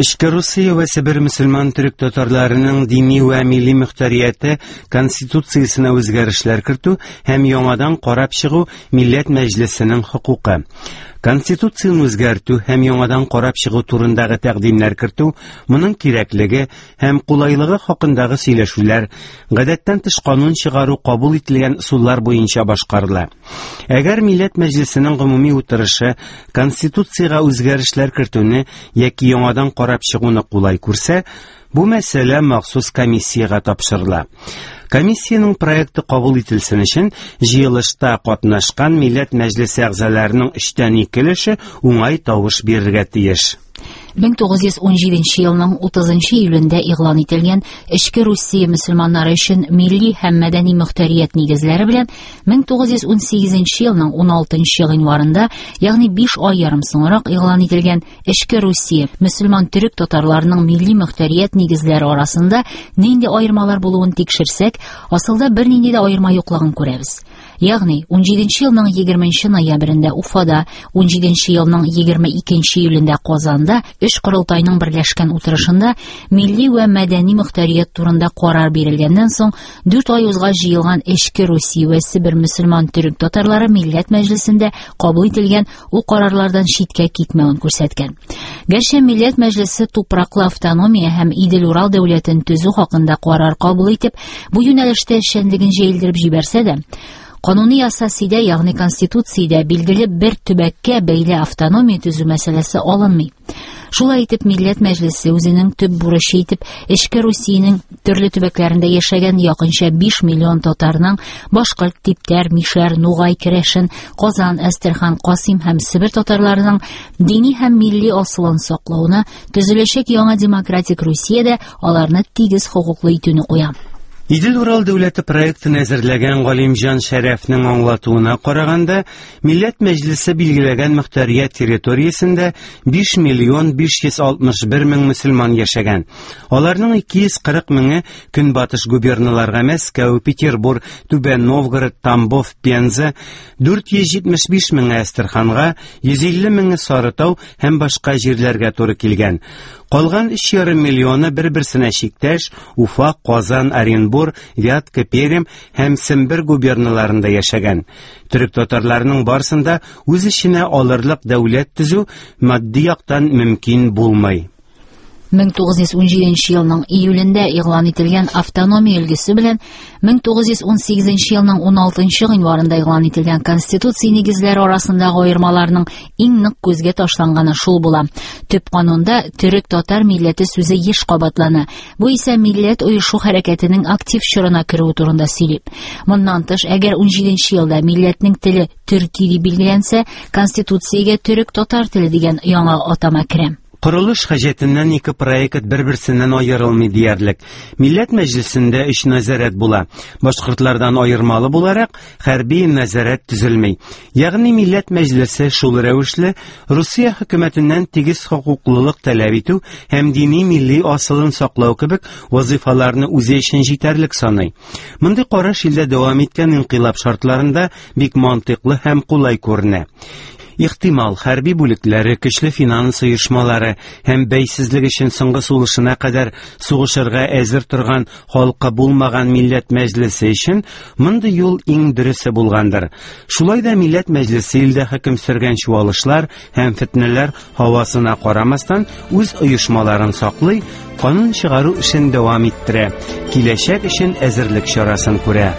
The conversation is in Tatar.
Эчке Русия вә Себер мөселман төрек татарларының дини вә милли мөхтәрияте конституциясенә үзгәрешләр кертү һәм яңадан карап чыгу Милләт Мәҗлесенең хокукы. Конституцияне үзгәртү һәм яңадан карап чыгу турындагы тәкъдимнәр кертү, моның кирәклеге һәм кулайлыгы хакындагы сөйләшүләр гадәттән тыш канун чыгару кабул ителгән ысуллар буенча башкарыла. Әгәр Милләт Мәҗлесенең гомуми утырышы Конституциягә үзгәрешләр кертүне яки яңадан карап чыгуны кулай күрсә, бу мәсьәлә махсус комиссиягә тапшырыла. Комиссиянең проекты кабул ителсен өчен җыелышта катнашкан Милләт Мәҗлесе әгъзаларының өчтән ике өлеше уңай тавыш бирергә тиеш. 1917 елның 30 июлендә игълан ителгән Эчке Русия мөселманнары өчен милли һәм мәдәни мөхтәрият нигезләре белән 1918 елның 16 гыйнварында, ягъни 5 ай ярым соңрак игълан ителгән Эчке Русия мөселман төрек татарларының милли мөхтәрият нигезләре арасында нинди аермалар булуын тикшерсәк, асылда бернинди дә аерма юклыгын күрәбез. Ягъни 17 елның 20 ноябрендә Уфада, 17 елның 22 июлендә Казанда өч корылтайның берләшкән утырышында милли вә мәдәни мөхтәрият турында карар бирелгәннән соң 4 ай узгач җыелган Эчке Русия вә Себер мөселман төрек татарлары Милләт Мәҗлесендә кабул ителгән ул карарлардан читкә китмәвен күрсәткән. Гәрчә Милләт Мәҗлесе тупраклы автономия һәм Идел-Урал дәүләтен төзү хакында карар кабул итеп, бу юнәлештә эшчәнлеген җәелдереп җибәрсә дә, кануни асасидә, ягъни конституциядә билгеле бер төбәккә бәйле автономия төзү мәсьәләсе алынмый. Шулай итеп, Милләт Мәҗлесе үзенең төп бурычы итеп Эчке Русиянең төрле төбәкләрендә яшәгән якынча 5 миллион татарның башкорт, типтәр, мишәр, нугай, керәшен, Казан, Әстерхан, Касыйм һәм Себер татарларының дини һәм милли асылын саклауны, төзеләчәк яңа демократик Русиядә аларны тигез хокуклы итүне куя. Идел-Урал дәүләте проектын әзерләгән Галимҗан Шәрәфнең аңлатуына караганда, Милләт Мәҗлесе билгеләгән мөхтәрият территориясендә 5 миллион 561 мең мөселман яшәгән. Аларның 240 меңе көнбатыш губерналарга Мәскәү, Петербург, Түбән Новгород, Тамбов, Пенза, 475 меңе Әстерханга, 150 меңе Сарытау һәм башка җирләргә туры килгән. Калган 3,5 миллионы бер-берсенә чиктәш Уфа, Казан, Оренбур, Вятка, Пермь һәм Сембер губерналарында яшәгән. Төрек татарларының барысын да үз эченә алырлык дәүләт төзү матди яктан мөмкин булмый. 1917 елның июлендә игълан ителгән автономия өлгесе белән 1918 елның 16 гыйнварында игълан ителгән Конституция нигезләре арасындагы аермаларның иң нык күзгә ташланганы шул була. Төп канунда төрек-татар милләте сүзе еш кабатлана. Бу исә милләт оешу хәрәкәтенең актив чорына керүе турында сөйли. Моннан тыш, әгәр 17 елда милләтнең теле төрки дип билгеләнсә, Конституциягә төрек-татар теле дигән яңа атама керә. Корылыш хаҗәтеннән ике проект бер-берсеннән аерылмый диярлек. Милләт Мәҗлесендә өч нәзарәт була. Башкортлардан аермалы буларак, хәрби нәзарәт төзелми. Ягъни Милләт Мәҗлесе шул рәвешле Русия хөкүмәтеннән тигез хокуклылык таләп итү һәм дини милли асылын саклау кебек вазыйфаларны үзе өчен җитәрлек саный. Мондый караш илдә дәвам иткән инкыйлаб шартларында бик мантыйклы һәм кулай күренә. Ихтимал, хәрби бүлекләре, көчле финанс оешмалары һәм бәйсезлек өчен соңгы сулышына кадәр сугышырга әзер торган халкы булмаган Милләт Мәҗлесе өчен мондый юл иң дөресе булгандыр. Шулай да Милләт Мәҗлесе илдә хөкем сөргән чуалышлар һәм фетнәләр һавасына карамастан үз оешмаларын саклый, канун чыгару эшен дәвам иттерә, киләчәк өчен әзерлек чарасын күрә.